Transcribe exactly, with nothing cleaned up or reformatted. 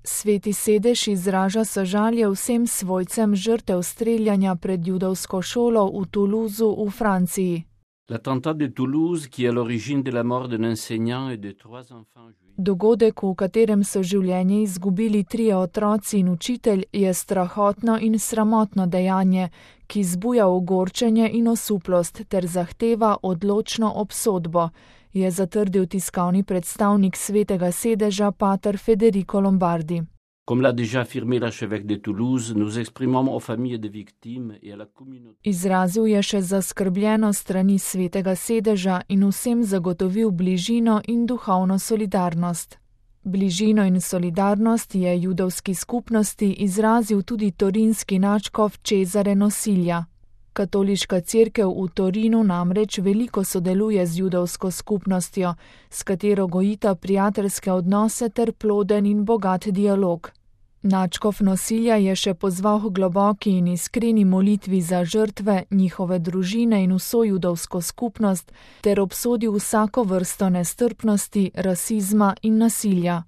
Sveti sedež izraža sožalje vsem svojcem žrtev streljanja pred judovsko šolo v Toulouseu v Franciji. L'attentat de Toulouse, qui est à l'origine de la mort d'un enseignant et de trois enfants juifs. Dogodek, v katerem so življenje izgubili trije otroci in učitelj, je strahotno in sramotno dejanje, ki zbuja ogorčenje in osuplost ter zahteva odločno obsodbo, je zatrdil tiskovni predstavnik Svetega sedeža pater Federico Lombardi. Comme l'a déjà affirmé l'archevêque de Toulouse, nous exprimons aux familles des victimes et à la communauté. Izrazil je še zaskrbljeno strani Svetega sedeža in vsem zagotovil bližino in duhovno solidarnost. Bližino in solidarnost je judovski skupnosti izrazil tudi torinski nadškof Cesare Nosilja. Katoliška cerkev v Torinu namreč veliko sodeluje z judovsko skupnostjo, s katero gojita prijateljske odnose ter ploden in bogat dialog. Nadškof Nosilja je še pozval k globoki in iskreni molitvi za žrtve, njihove družine in vso judovsko skupnost ter obsodil vsako vrsto nestrpnosti, rasizma in nasilja.